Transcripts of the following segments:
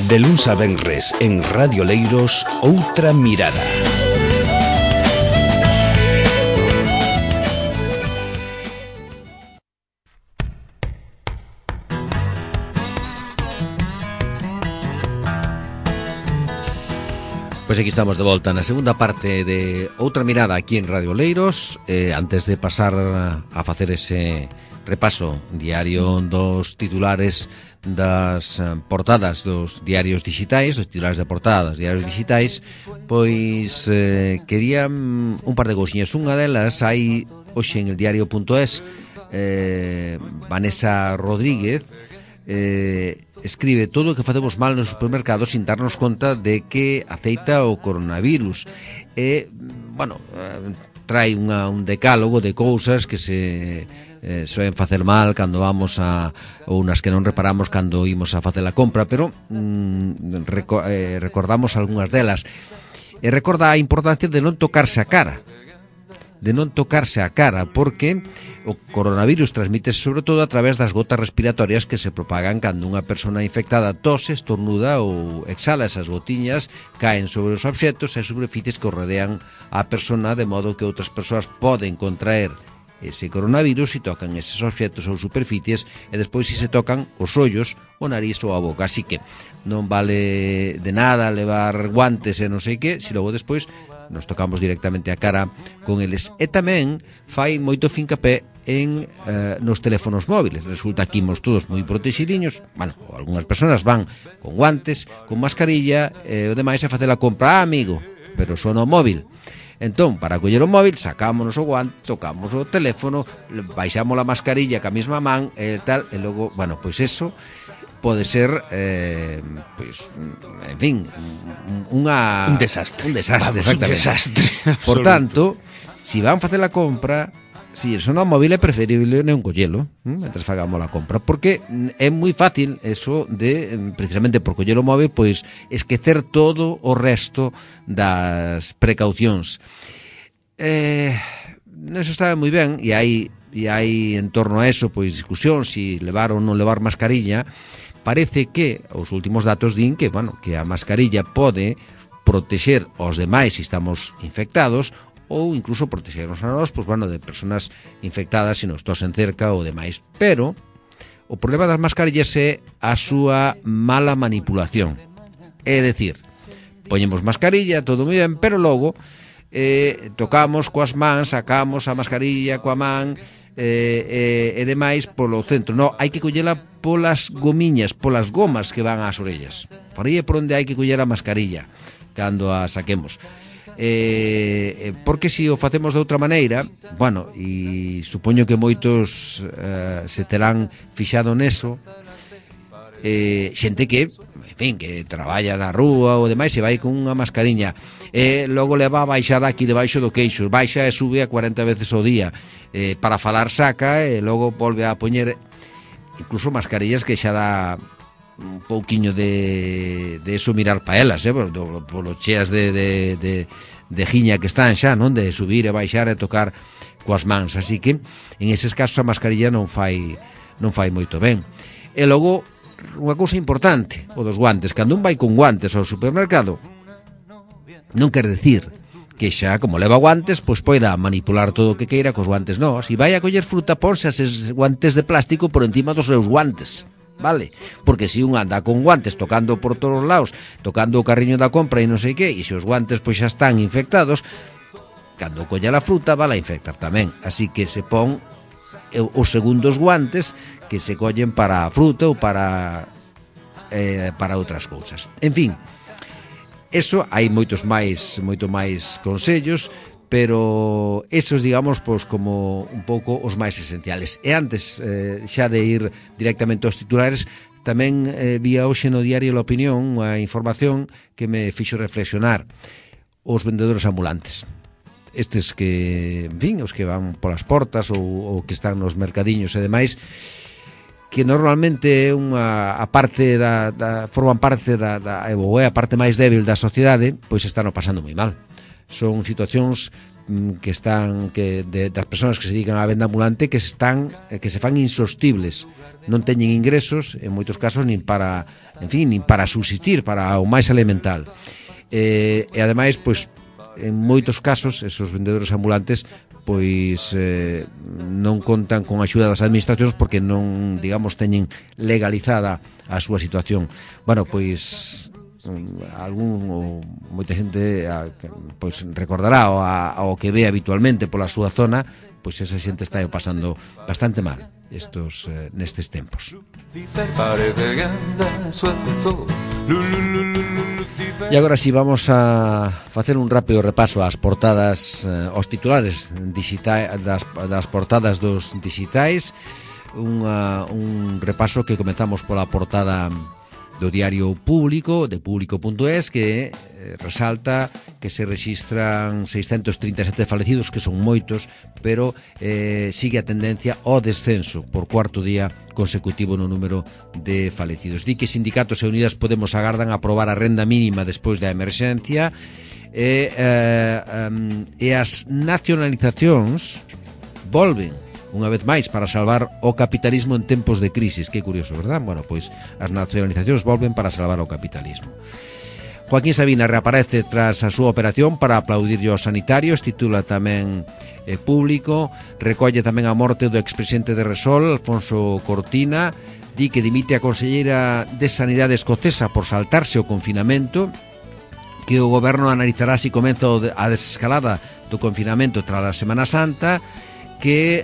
De luns a venres en Radio Leiros, Outra Mirada. Pois aquí estamos de volta na segunda parte de Outra Mirada aquí en Radio Leiros. Antes de pasar a facer ese repaso diario dos titulares das portadas dos diarios digitais, os titulares de portada dos diarios digitais, pois quería un par de cousiñas. Unha delas hai hoxe en el diario.es, Vanessa Rodríguez escribe: todo o que facemos mal no supermercado sin darnos conta de que aceita o coronavirus. Trae un decálogo de cousas que se soen facer mal cando vamos ou nas que non reparamos cando imos a facer a compra, pero recordamos algunhas delas. E recorda a importancia de non tocarse a cara, porque o coronavirus transmítese sobre todo a través das gotas respiratorias que se propagan cando unha persona infectada tose, estornuda ou exhala. Esas gotiñas caen sobre os obxetos e superficies que o rodean a persona, de modo que outras persoas poden contraer ese coronavirus e tocan eses obxetos ou superficies, e despois si se tocan os ollos, o nariz ou a boca. Así que non vale de nada levar guantes e non sei que, se logo despois nos tocamos directamente a cara con eles. E tamén fai moito fincapé en nos teléfonos móviles. Resulta que imos todos moi protexiliños, algunhas persoas van con guantes, con mascarilla, e o demais é facer a compra, amigo, pero só no móvil. Entón, para coller o móvil, sacámonos o guante, tocamos o teléfono, baixamos a mascarilla ca mesma man e tal, e logo, pois eso pode ser, en fin, un desastre. Exactamente. Un desastre. Por tanto, si van facer a compra, si son ao móvil é preferible non collelo mentre fagamos a compra, porque é moi fácil eso de, precisamente por coller o móvil, pois esquecer todo o resto das precaucións. Eso está moi ben, e hai en torno a eso pois discusión si levar ou non levar mascarilla. Parece que os últimos datos din que, que a mascarilla pode protexer aos demais se estamos infectados, ou incluso protexernos a nós, de personas infectadas se nos tosen cerca ou demais. Pero o problema das mascarillas é a súa mala manipulación. É dicir, poñemos mascarilla, todo moi ben, pero logo tocamos coas mans, sacamos a mascarilla coa man e demais polo centro. Non, hai que collela polas gomiñas, polas gomas que van ás orellas. Por aí é por onde hai que coller a mascarilla cando a saquemos. Porque se o facemos de outra maneira, e supoño que moitos se terán fixado neso, xente que, en fin, que traballa na rúa ou demais, se vai con unha mascariña, logo leva a baixada aquí debaixo do queixo, baixa e sube a 40 veces ao día, para falar saca e logo volve a poñer incluso mascarillas que xa dá un pouquiño de eso mirar pa elas, polo cheas de giña que están xa, non? De subir e baixar e tocar coas mans. Así que en eses casos a mascarilla non fai moito ben. E logo, unha cousa importante, o dos guantes. Cando un vai con guantes ao supermercado, non quer decir que xa, como leva guantes, pois poida manipular todo o que queira cos guantes. Non, se vai a coller fruta, ponse eses guantes de plástico por encima dos seus guantes, vale? Porque se un anda con guantes tocando por todos os lados, tocando o carriño da compra e non sei que, e se os guantes pois xa están infectados, cando colla a fruta vai a infectar tamén. Así que se pon os segundos guantes que se collen para a fruta ou para outras cousas. En fin, eso hai moito máis consellos, pero esos, digamos, pois como un pouco os máis esenciales. E antes xa de ir directamente aos titulares, tamén vía hoxe no diario La Opinión unha información que me fixo reflexionar: os vendedores ambulantes. Estes que, en fin, os que van polas portas ou que están nos mercadiños e demais, que normalmente é forman parte ou é a parte máis débil da sociedade, pois están pasando moi mal. Son situacións das persoas que se dedican á venda ambulante que se fan insostibles, non teñen ingresos en moitos casos nin para subsistir, para o máis elemental, e ademais, pois, en moitos casos esos vendedores ambulantes pois non contan con a axuda das administracións porque non, digamos, teñen legalizada a súa situación. Bueno, pois moita xente pois recordará ao que ve habitualmente pola súa zona, pois esa xente está pasando bastante mal nestes tempos. E agora si vamos a facer un rápido repaso ás portadas, aos titulares das portadas dos digitais, un repaso que comezamos pola portada do diario Público, de público.es, que resalta que se registran 637 falecidos, que son moitos, pero sigue a tendencia ao descenso por cuarto día consecutivo no número de falecidos. Di que sindicatos e Unidas Podemos agardan a aprobar a renda mínima despois da emerxencia, e as nacionalizacións volven unha vez máis para salvar o capitalismo en tempos de crisis. Que curioso, verdad? Bueno, pois as nacionalizacións volven para salvar o capitalismo. Joaquín Sabina reaparece tras a súa operación para aplaudirlle aos sanitarios, titula tamén Público, recolle tamén a morte do expresidente de Repsol, Alfonso Cortina, di que dimite a conselleira de Sanidade escocesa por saltarse o confinamento, que o goberno analizará se comeza a desescalada do confinamento tras a Semana Santa, que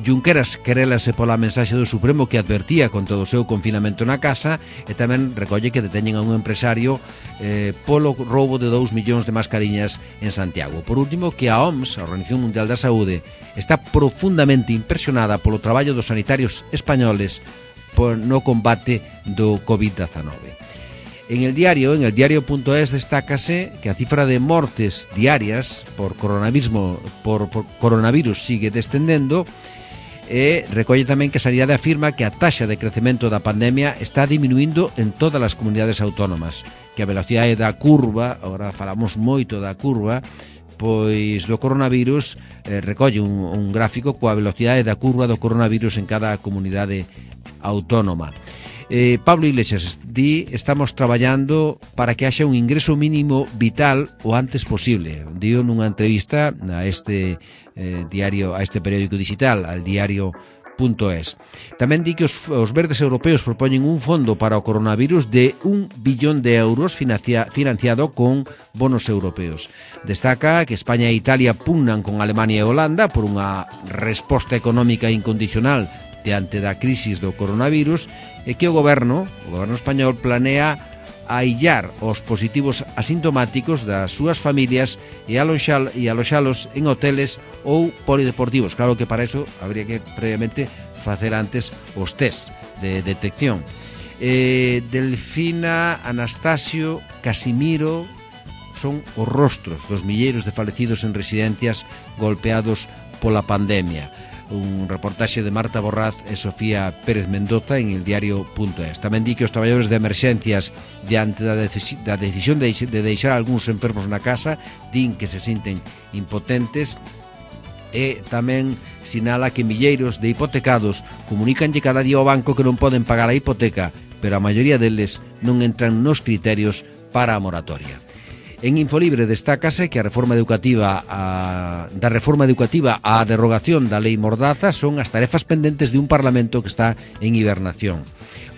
Junqueras querélase pola mensaxe do Supremo que advertía contra o seu confinamento na casa, e tamén recolle que deteñen a un empresario polo roubo de 2 millóns de mascariñas en Santiago. Por último, que a OMS, a Organización Mundial da Saúde, está profundamente impresionada polo traballo dos sanitarios españoles no combate do COVID-19. En el diario.es destácase que a cifra de mortes diarias por coronavirus sigue descendendo, e recolle tamén que a Sanidade afirma que a taxa de crecemento da pandemia está diminuindo en todas as comunidades autónomas, que a velocidade da curva, agora falamos moito da curva, pois do coronavirus, recolle un gráfico coa velocidade da curva do coronavirus en cada comunidade autónoma. Pablo Iglesias di: estamos traballando para que haxa un ingreso mínimo vital o antes posible. Dio nunha entrevista a este diario, a este periódico digital, al diario.es. Tamén di que os verdes europeos propoñen un fondo para o coronavirus de 1 billón de euros financiado con bonos europeos. Destaca que España e Italia pugnan con Alemania e Holanda por unha resposta económica incondicional diante da crisis do coronavirus, e que o goberno español planea aillar os positivos asintomáticos das súas familias e aloxalos en hoteles ou polideportivos. Claro que para eso habría que previamente facer antes os test de detección. Delfina, Anastasio, Casimiro son os rostros dos milleiros de falecidos en residencias golpeados pola pandemia. Un reportaxe de Marta Borraz e Sofía Pérez Mendoza en el diario.es. Tamén di que os traballadores de emerxencias, diante da decisión de deixar algúns enfermos na casa, din que se sinten impotentes, e tamén sinala que milleiros de hipotecados comunicanlle cada día ao banco que non poden pagar a hipoteca, pero a maioría deles non entran nos criterios para a moratoria. En Infolibre destácase que da reforma educativa á derrogación da lei Mordaza son as tarefas pendentes de un Parlamento que está en hibernación.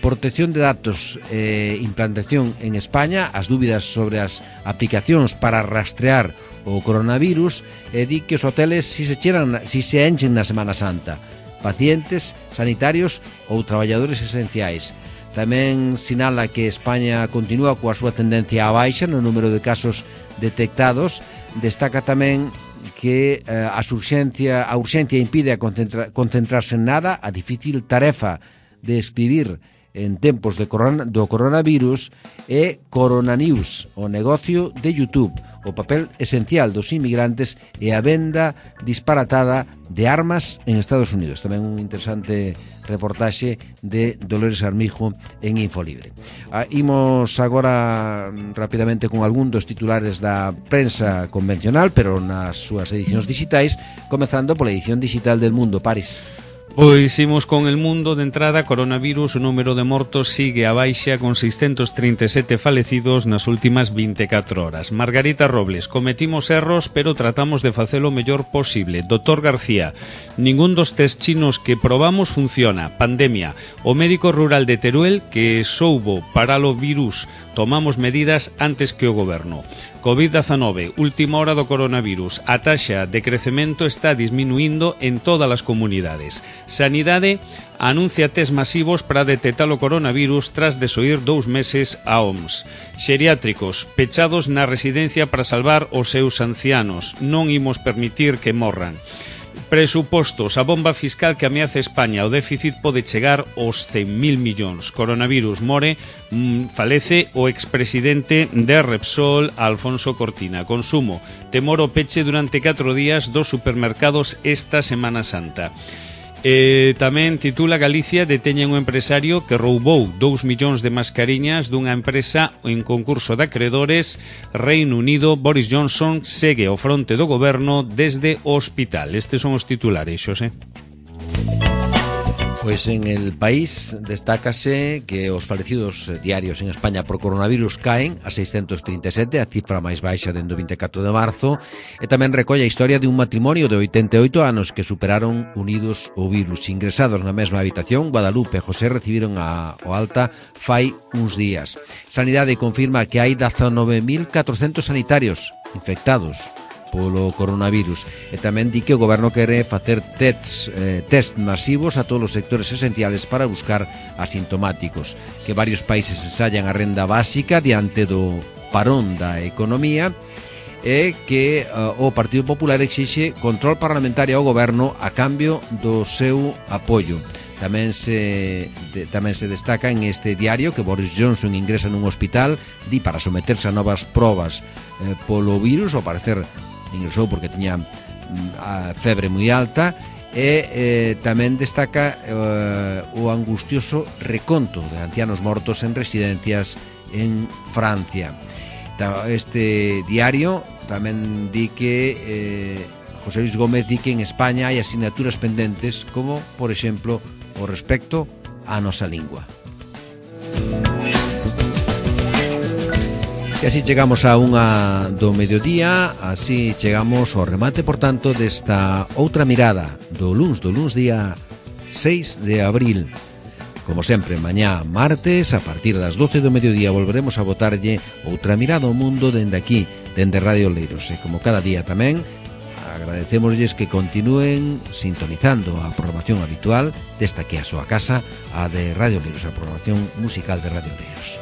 Protección de datos e implantación en España, as dúbidas sobre as aplicacións para rastrear o coronavirus, e di que os hoteles si se enchen na Semana Santa, pacientes, sanitarios ou traballadores esenciais. Tamén sinala que España continúa coa súa tendencia á baixa no número de casos detectados. Destaca tamén que a urxencia impide a concentrarse en nada, a difícil tarefa de escribir en tempos do coronavirus, e Coronanews, o negocio de YouTube. o papel esencial dos inmigrantes e a venda disparatada de armas en Estados Unidos. Tamén un interesante reportaxe de Dolores Armijo en Infolibre. Imos agora rapidamente con algún dos titulares da prensa convencional, pero nas súas edicións digitais, comezando pola edición digital del Mundo. Paris. Pois imos con El Mundo. De entrada, coronavirus, o número de mortos sigue a baixa con 637 falecidos nas últimas 24 horas. Margarita Robles, cometimos erros, pero tratamos de facelo o mellor posible. Dr. García, ningún dos test chinos que probamos funciona. Pandemia, o médico rural de Teruel que soubo para o virus, tomamos medidas antes que o goberno. COVID-19, última hora do coronavirus. A taxa de crecemento está disminuindo en todas as comunidades. Sanidade anuncia test masivos para detectar o coronavirus tras desoír 2 meses a OMS. Xeriátricos, pechados na residencia para salvar os seus ancianos. Non imos permitir que morran. Presupostos, a bomba fiscal que ameaza España. O déficit pode chegar aos 100.000 millóns. Coronavirus, more, falece o expresidente de Repsol, Alfonso Cortina. Consumo, temor o peche durante 4 días dos supermercados esta Semana Santa. Tamén titula Galicia deteñen un empresario que roubou 2 millóns de mascariñas dunha empresa en concurso de acreedores. Reino Unido, Boris Johnson segue ao fronte do goberno desde o hospital. Estes son os titulares, Xosé. Pois en El País destácase que os falecidos diarios en España por coronavirus caen a 637, a cifra máis baixa dende o 24 de marzo, e tamén recolle a historia de un matrimonio de 88 anos que superaron unidos o virus. Ingresados na mesma habitación, Guadalupe e José recibiron o alta fai uns días. Sanidade confirma que hai 19.400 sanitarios infectados polo coronavirus, e tamén di que o goberno quere facer test masivos a todos os sectores esenciales para buscar asintomáticos, que varios países ensayan a renda básica diante do parón da economía, e que o Partido Popular exixe control parlamentario ao goberno a cambio do seu apoio. Tamén se destaca en este diario que Boris Johnson ingresa nun hospital, di para someterse a novas probas polo virus. Ao parecer ingresou porque tiña a febre moi alta, e tamén destaca o angustioso reconto de ancianos mortos en residencias en Francia. Este diario tamén di que José Luis Gómez di que en España hai asignaturas pendentes, como, por exemplo, o respecto á nosa lingua. E así chegamos a unha do mediodía, así chegamos ao remate, por tanto, desta outra mirada do luns día 6 de abril. Como sempre, mañá martes, a partir das 12 do mediodía, volveremos a botarlle outra mirada ao mundo dende aquí, dende Radio Oleiros. E como cada día tamén, agradecémoslles que continúen sintonizando a programación habitual desta que é a súa casa, a de Radio Oleiros, a programación musical de Radio Oleiros.